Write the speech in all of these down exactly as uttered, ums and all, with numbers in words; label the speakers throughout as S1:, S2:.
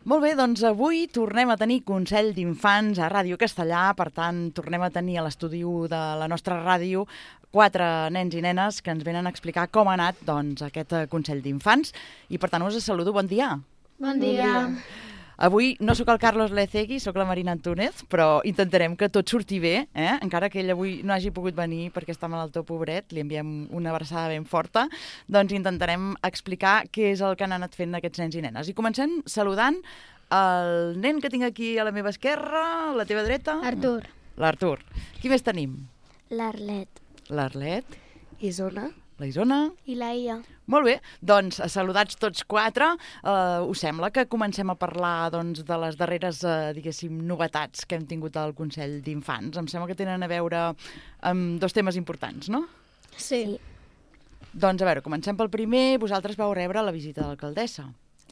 S1: Molt bé, doncs avui tornem a tenir Consell d'Infants a Ràdio Castellà, per tant, tornem a tenir a l'estudi de la nostra ràdio quatre nens i nenes que ens venen a explicar com ha anat doncs, aquest Consell d'Infants. I per tant us saludo, bon dia.
S2: Bon dia.
S1: Avui no sóc el Carlos Lecegui, sóc la Marina Antúnez, però intentarem que tot surti bé, eh? Encara que ell avui no hagi pogut venir perquè està malaltó, pobret, li enviem una abraçada ben forta, doncs intentarem explicar què és el que han anat fent aquests nens i nenes. I comencem saludant el nen que tinc aquí a la meva esquerra, a la teva dreta.
S2: Artur.
S1: L'Artur. Qui més tenim?
S3: L'Arlet.
S1: L'Arlet.
S3: Isona.
S1: La Isona.
S3: I la Ia.
S1: Molt bé, doncs saludats tots quatre. Uh, us sembla que comencem a parlar doncs, de les darreres, uh, diguéssim, novetats que hem tingut al Consell d'Infants. Em sembla que tenen a veure amb dos temes importants, no?
S2: Sí.
S3: Sí.
S1: Doncs a veure, comencem pel primer. Vosaltres vau rebre la visita de l'alcaldessa,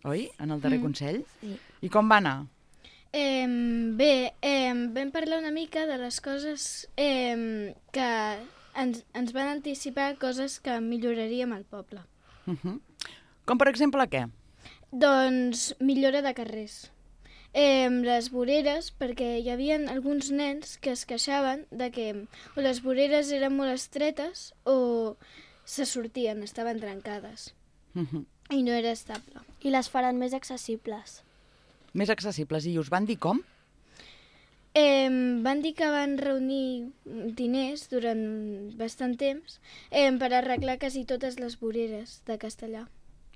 S1: oi? En el darrer
S2: Mm.
S1: Consell.
S3: Sí.
S1: I com va anar?
S2: Eh, bé, eh, vam parlar una mica de les coses eh, que ens, ens van anticipar, coses que milloraríem al poble.
S1: Uh -huh. Com per exemple què?
S2: Doncs millora de carrers. Eh, les voreres, perquè hi havia alguns nens que es queixaven de que o les voreres eren molt estretes o se sortien, estaven trencades
S1: Uh -huh.
S2: i no era estable.
S3: I les faran més accessibles.
S1: Més accessibles. I us van dir com?
S2: Eh, van dir que van reunir diners durant bastant temps eh, per arreglar quasi totes les voreres de Castellà.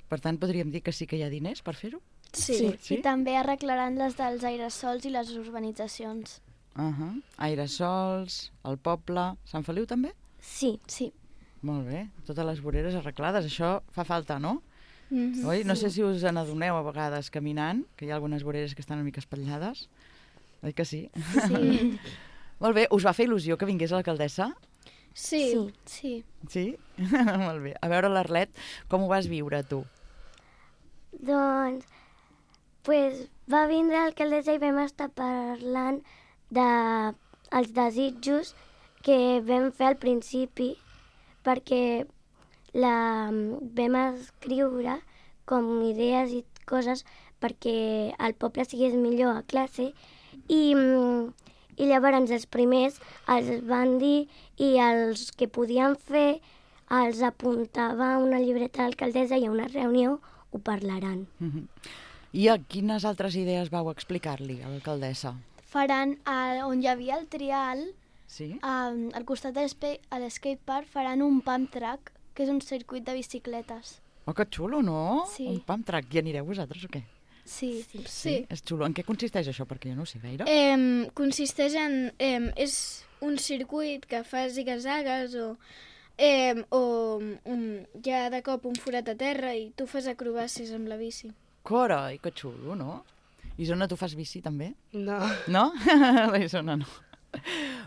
S1: Per tant, podríem dir que sí que hi ha diners per fer-ho?
S2: Sí.
S1: Sí?
S3: I també arreglaran les dels aerosols i les urbanitzacions.
S1: Uh -huh. Airesols, el poble... Sant Feliu també?
S3: Sí, sí.
S1: Molt bé, totes les voreres arreglades. Això fa falta, no?
S2: Mm-hmm.
S1: Oi? No sé si us n'adoneu a vegades caminant, que hi ha algunes voreres que estan una mica espatllades. Oi que sí?
S3: Sí.
S1: Molt bé, us va fer il·lusió que vingués l'alcaldessa?
S2: Sí.
S3: Sí.
S2: Sí.
S1: Sí? Molt bé. A veure, l'Arlet, com ho vas viure, tu?
S4: Doncs, pues, va vindre l'alcaldessa i vam estar parlant de els desitjos que vam fer al principi, perquè la, vam escriure com idees i coses perquè el poble sigués millor a classe i, i llavors els primers els van dir i els que podien fer els apuntava a una llibreta a l'alcaldessa i a una reunió ho parlaran.
S1: Uh -huh. I a quines altres idees vau explicar-li a l'alcaldessa?
S5: Faran, a, on hi havia el trial,
S1: Sí?
S5: a, al costat de l'espe- a l'skate park, faran un pump track, que és un circuit de bicicletes.
S1: Oh, que xulo, no?
S5: Sí.
S1: Un pump track. I anireu vosaltres o què?
S5: Sí.
S2: Sí.
S1: Sí. És xulo. En què consisteix això? Perquè jo no ho sé gaire.
S2: Eh, consisteix en... Eh, és un circuit que fa ziga-zagues o, eh, o un, hi ha de cop un forat a terra i tu fas acrobàcies amb la bici.
S1: Carai, que xulo, no? Isona, tu fas bici també?
S3: No.
S1: No? La Isona no.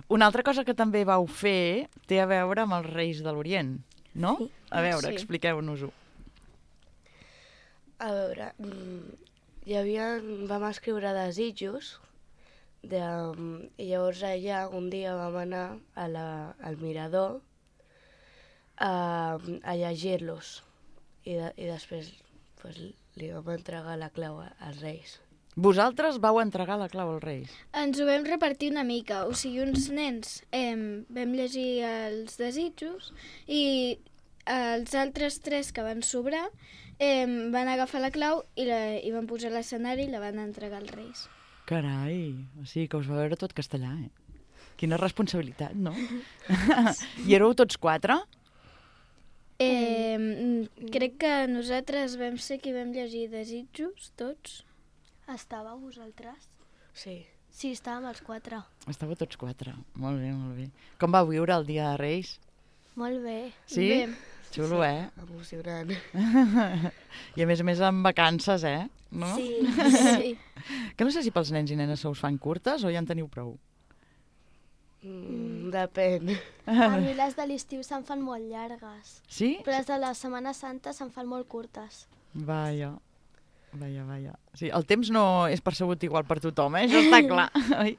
S1: Una altra cosa que també vau fer té a veure amb els Reis de l'Orient, no?
S4: Sí.
S1: A veure,
S2: Sí.
S1: expliqueu-nos-ho.
S6: A veure, mm, hi havia, vam escriure desitjos de, i llavors allà un dia vam anar a la, al mirador a, a llegir-los i, de, i després pues, li vam entregar la clau a- als Reis.
S1: Vosaltres vau entregar la clau als Reis.
S2: Ens ho vam repartir una mica, o sigui, uns nens eh, vam llegir els desitjos i els altres tres que van sobrar eh, van agafar la clau i, la, i van posar a l'escenari i la van entregar als Reis.
S1: Carai, o sigui que us va veure tot castellà, eh? Quina responsabilitat, no? I éreu tots quatre?
S2: Eh, mm, crec que nosaltres vam ser qui vam llegir desitjos, tots.
S5: Estàveu vosaltres?
S6: Sí.
S5: Sí, estàvem els quatre.
S1: Estàveu tots quatre. Molt bé, molt bé. Com va viure el dia de Reis?
S5: Molt bé.
S1: Sí?
S2: Bé.
S1: Xulo, eh?
S6: Emocionant.
S1: I a més a més amb vacances, eh? No?
S5: Sí.
S2: Sí.
S1: Que no sé si pels nens i nenes se us fan curtes o ja en teniu prou.
S6: Mm, depèn.
S5: A mi les de l'estiu se'n fan molt llargues,
S1: Sí?
S5: però les de la Setmana Santa se'n fan molt curtes.
S1: Vaja. Vaja, vaja. Sí, el temps no és percebut igual per tothom, eh? Això està clar. Oi?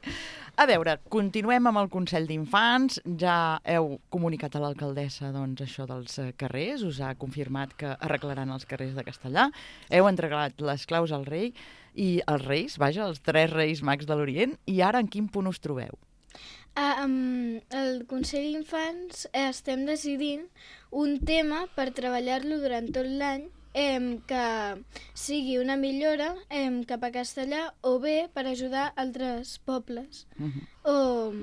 S1: A veure, continuem amb el Consell d'Infants. Ja heu comunicat a l'alcaldessa doncs, això dels eh, carrers, us ha confirmat que arreglaran els carrers de Castellà. Heu entregat les claus al rei i els reis, vaja, els tres reis mags de l'Orient, i ara en quin punt us trobeu?
S2: Ah, um, el Consell d'Infants eh, estem decidint un tema per treballar-lo durant tot l'any, eh, que sigui una millora eh, cap a castellà o bé per ajudar altres pobles.
S1: Uh-huh.
S2: O...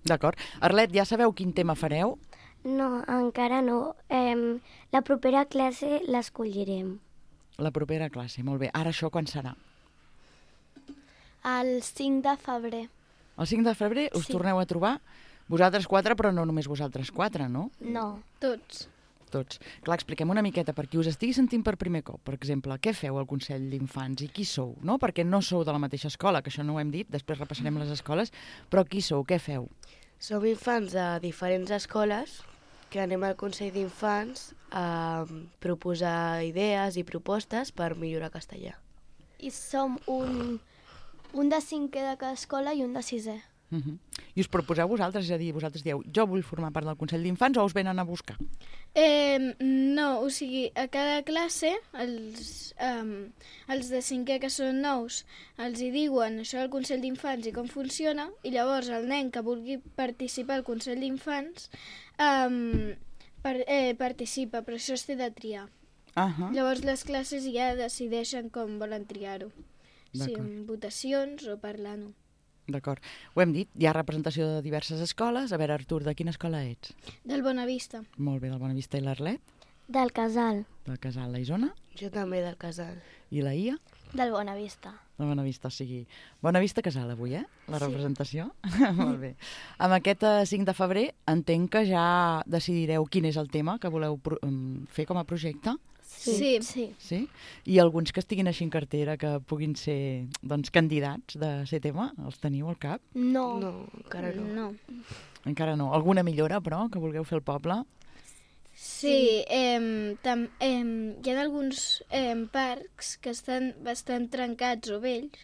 S1: D'acord. Arlet, ja sabeu quin tema fareu?
S4: No, encara no. Eh, la propera classe l'escollirem.
S1: La propera classe, molt bé. Ara això quan serà?
S5: El cinc de febrer.
S1: El cinc de febrer us
S5: Sí.
S1: torneu a trobar? Vosaltres quatre, però no només vosaltres quatre, no?
S5: No.
S2: Tots.
S1: Tots. Clar, expliquem una miqueta per qui us estigui sentint per primer cop. Per exemple, què feu al Consell d'Infants i qui sou? No? Perquè no sou de la mateixa escola, que això no ho hem dit, després repassarem les escoles, però qui sou? Què feu?
S6: Som infants de diferents escoles que anem al Consell d'Infants a proposar idees i propostes per millorar castellà.
S5: I som un, un de cinquè de cada escola i un de sisè.
S1: Uh -huh. I us proposeu vosaltres, és a dir, vosaltres dieu, jo vull formar part del Consell d'Infants o us venen a buscar?
S2: Eh, no, o sigui, a cada classe, els, um, els de cinquè que són nous, els hi diuen això del Consell d'Infants i com funciona, i llavors el nen que vulgui participar al Consell d'Infants um, per, eh, participa, però això es té de triar.
S1: Uh -huh.
S2: Llavors les classes ja decideixen com volen triar-ho, si
S1: D'acord.
S2: amb votacions o parlant-ho.
S1: D'acord. Ho hem dit, hi ha representació de diverses escoles. A veure, Artur, de quina escola ets?
S2: Del Bonavista.
S1: Molt bé, del Bonavista i l'Arlet,
S4: Del casal.
S1: del Casal, la Isona
S6: Jo també del casal.
S1: i la Ia,
S5: Del Bonavista.
S1: del Bonavista, o sigui, Bonavista Casal avui, eh? La representació. Molt bé. Amb aquest eh, cinc de febrer entenc que ja decidireu quin és el tema que voleu pro- em, fer com a projecte.
S2: Sí.
S5: Sí.
S1: Sí? I alguns que estiguin així en cartera que puguin ser doncs, candidats de ser tema, els teniu al cap?
S5: No.
S6: No, encara no.
S2: No.
S1: Encara no. Alguna millora, però, que vulgueu fer al poble?
S2: Sí, eh, tam, eh, hi ha alguns eh, parcs que estan bastant trencats o vells.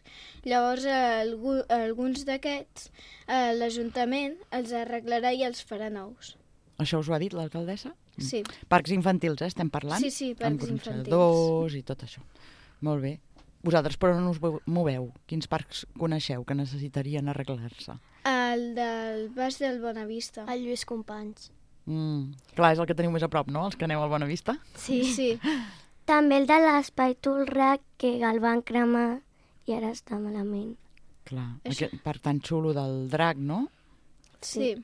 S2: Llavors, algú, alguns d'aquests, eh, l'Ajuntament els arreglarà i els farà nous.
S1: Això us ho ha dit l'alcaldessa?
S2: Sí.
S1: Parcs infantils, eh, estem parlant?
S2: Sí, sí, parcs
S1: Amb
S2: infantils.
S1: gronxadors i tot això. Molt bé. Vosaltres, però, no us veu- moveu. Quins parcs coneixeu que necessitarien arreglar-se?
S2: El del Baix del Bonavista.
S5: El Lluís Companys.
S1: Mm. Clar, és el que teniu més a prop, no?, els que aneu al Bonavista?
S5: Sí.
S2: Sí.
S4: També el de l'Espai Tolrac, que el van cremar i ara està malament.
S1: Clar,
S2: Això.
S1: aquest parc tan xulo del drac, no?
S2: Sí.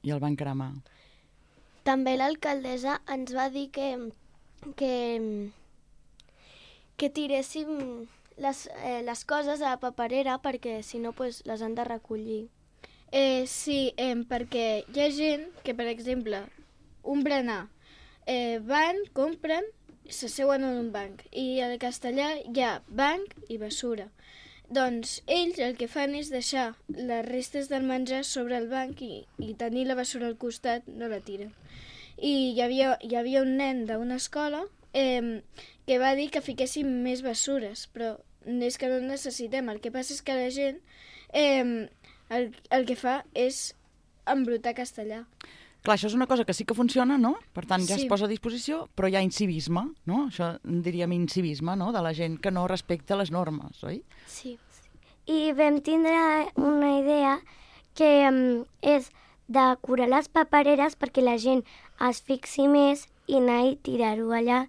S1: I el van cremar.
S5: També l'alcaldessa ens va dir que, que, que tiréssim les, eh, les coses a la paperera perquè si no pues, les han de recollir.
S2: Eh, sí, eh, perquè hi ha gent que, per exemple, un berenar, eh, van, compren, s'asseuen en un banc, i al castellà hi ha banc i bessura. Doncs ells el que fan és deixar les restes del menjar sobre el banc i, i tenir la bessura al costat, no la tiren. I hi havia, hi havia un nen d'una escola eh, que va dir que fiquéssim més bessures, però és que no en necessitem. El que passa és que la gent eh, el, el que fa és embrutar castellà.
S1: Clar, això és una cosa que sí que funciona, no? Per tant, ja
S2: Sí.
S1: es posa a disposició, però hi ha incivisme, no? Això en diríem incivisme, no?, de la gent que no respecta les normes, oi?
S5: Sí.
S4: I vam tindre una idea que um, és decorar les papereres perquè la gent es fixi més i anar i tirar-ho allà,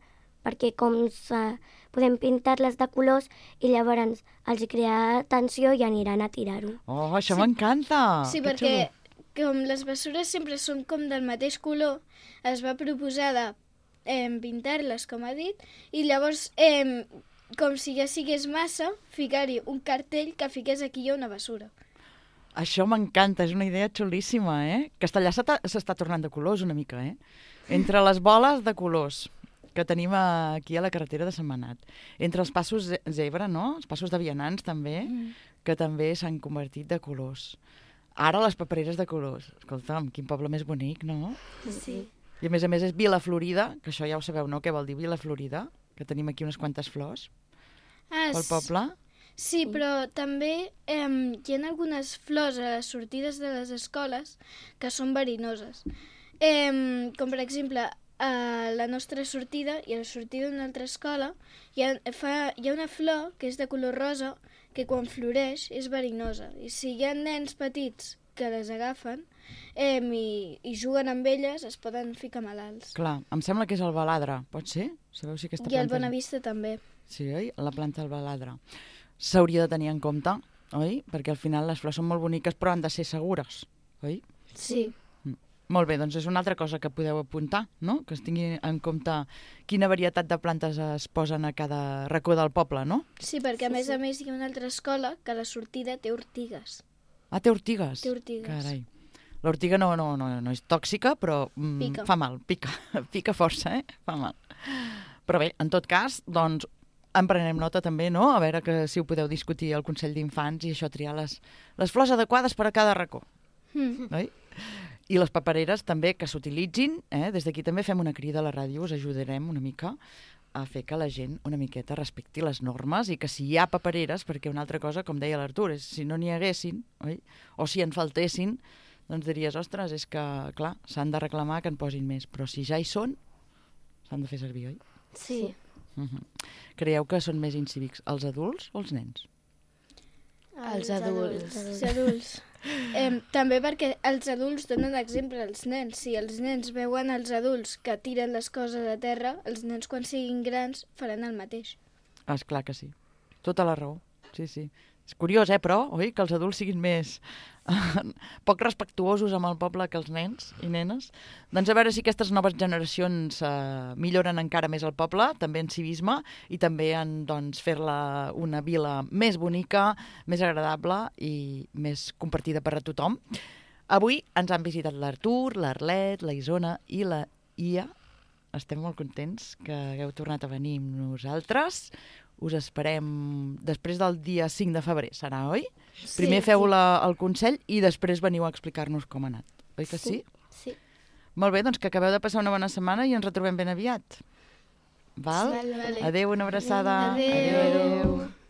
S4: perquè com se, podem pintar-les de colors i llavors els crearà atenció i aniran a tirar-ho.
S1: Oh, això m'encanta!
S2: sí,
S1: Que
S2: perquè
S1: xulo.
S2: com les bessures sempre són com del mateix color, es va proposar de eh, pintar-les, com ha dit, i llavors, eh, com si ja sigués massa, ficar-hi un cartell que fiqués aquí hi ha una bessura.
S1: Això m'encanta, és una idea xulíssima, eh? Castellà s'està s'està tornant de colors una mica, eh? Entre les boles de colors que tenim aquí a la carretera de Sentmenat, entre els passos ze- zebra, no?, els passos de vianants també,
S2: Mm.
S1: que també s'han convertit de colors. Ara les papereres de colors. Escolta'm, quin poble més bonic, no?
S5: Sí.
S1: I a més a més és Vila Florida, que això ja ho sabeu, no?, què vol dir Vila Florida, que tenim aquí unes quantes flors
S2: Ah,
S1: pel poble.
S2: Sí, però també eh, hi ha algunes flors a les sortides de les escoles que són verinoses. Eh, com per exemple, a la nostra sortida i a la sortida d'una altra escola hi ha, fa, hi ha una flor que és de color rosa que quan floreix és verinosa. I si hi ha nens petits que les agafen eh, i, i juguen amb elles, es poden ficar malalts.
S1: Clar, em sembla que és el baladre, pot ser? Sabeu si aquesta
S2: I el
S1: planta...
S2: Bonavista també.
S1: Sí, oi? La planta del baladre. S'hauria de tenir en compte, oi? Perquè al final les flors són molt boniques, però han de ser segures, oi?
S2: Sí.
S1: Mm. Molt bé, doncs és una altra cosa que podeu apuntar, no? Que es tingui en compte quina varietat de plantes es posen a cada racó del poble, no?
S2: Sí, perquè a
S5: Sí,
S2: més
S5: sí.
S2: a més hi ha una altra escola que a la sortida té ortigues.
S1: Ah, té ortigues?
S2: Té ortigues.
S1: Carai. L'ortiga no, no, no, no és tòxica, però mm,
S2: Pica.
S1: fa mal, pica. Pica força, eh? Fa mal. Però bé, en tot cas, doncs, en prenem nota també, no? A veure que si ho podeu discutir al Consell d'Infants i això, triar les, les flors adequades per a cada racó.
S2: Mm.
S1: Oi? I les papereres també que s'utilitzin, eh? Des d'aquí també fem una crida a la ràdio, us ajudarem una mica a fer que la gent una miqueta respecti les normes i que si hi ha papereres, perquè una altra cosa, com deia l'Artur, és si no n'hi haguessin, oi? O si en faltessin, doncs diries, ostres, és que, clar, s'han de reclamar que en posin més, però si ja hi són, s'han de fer servir, oi?
S5: Sí.
S1: Uh -huh. Creieu que són més incívics els adults o els nens?
S6: Els adults.
S2: Els adults. Eh, també perquè els adults donen exemple als nens. Si els nens veuen els adults que tiren les coses a terra, els nens quan siguin grans faran el mateix.
S1: Ah, és clar que sí. Tota la raó. Sí, sí. És curiós, eh, però, oi? Que els adults siguin més poc respectuosos amb el poble que els nens i nenes. Doncs a veure si aquestes noves generacions eh, milloren encara més el poble, també en civisme, i també en doncs, fer-la una vila més bonica, més agradable i més compartida per a tothom. Avui ens han visitat l'Artur, l'Arlet, la Isona i la Ia. Estem molt contents que hagueu tornat a venir amb nosaltres. Us esperem després del dia cinc de febrer, serà, oi?
S5: Sí,
S1: Primer feu
S5: sí.
S1: la, el Consell i després veniu a explicar-nos com ha anat. Oi que sí?
S5: Sí.
S1: Molt bé, doncs que acabeu de passar una bona setmana i ens retrobem ben aviat. Val?
S2: Vale, vale.
S1: Adéu, una abraçada.
S2: Adéu.
S1: Adéu.